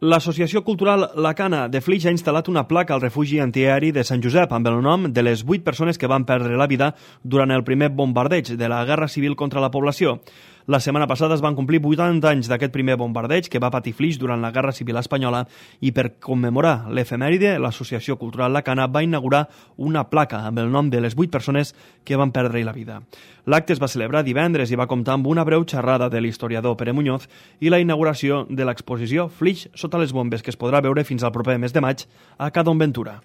L'Associació Cultural La Cana de Flix ha instal·lat una placa al refugi antiaeri de Sant Josep amb el nom de les 8 persones que van perdre la vida durant el primer bombardeig de la Guerra Civil contra la població. La setmana passada es van complir 80 anys d'aquest primer bombardeig que va patir Flix durant la Guerra Civil espanyola i per commemorar l'efemèride, l'Associació Cultural La Cana va inaugurar una placa amb el nom de les 8 persones que van perdre la vida. L'acte es va celebrar divendres i va comptar amb una breu xerrada de l'historiador Pere Muñoz i la inauguració de l'exposició Flix sota les bombes que es podrà veure fins al proper mes de maig a Cadon Ventura.